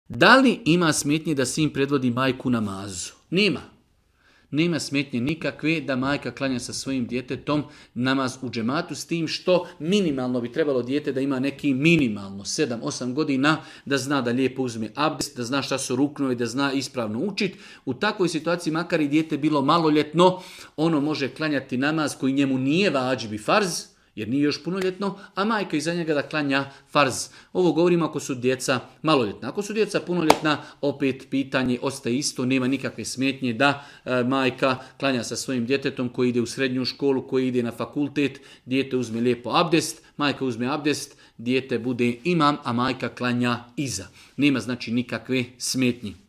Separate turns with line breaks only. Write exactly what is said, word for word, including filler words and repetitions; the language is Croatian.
Da li ima smetnje da sin predvodi majku namazu? Nema. Nema smetnje nikakve da majka klanja sa svojim djetetom namaz u džematu, s tim što minimalno bi trebalo dijete da ima neki minimalno sedam osam godina, da zna da lijepo uzme abdest, da zna šta su ruknovi, da zna ispravno učiti. U takvoj situaciji, makar i dijete bilo maloljetno, ono može klanjati namaz koji njemu nije vađib i farz, jer nije još punoljetno, a majka iza njega da klanja farz. Ovo govorimo ako su djeca maloljetna. Ako su djeca punoljetna, opet pitanje ostaje isto, nema nikakve smetnje da e, majka klanja sa svojim djetetom koji ide u srednju školu, koji ide na fakultet, dijete uzme lijepo abdest, majka uzme abdest, dijete bude imam, a majka klanja iza. Nema znači nikakve smetnje.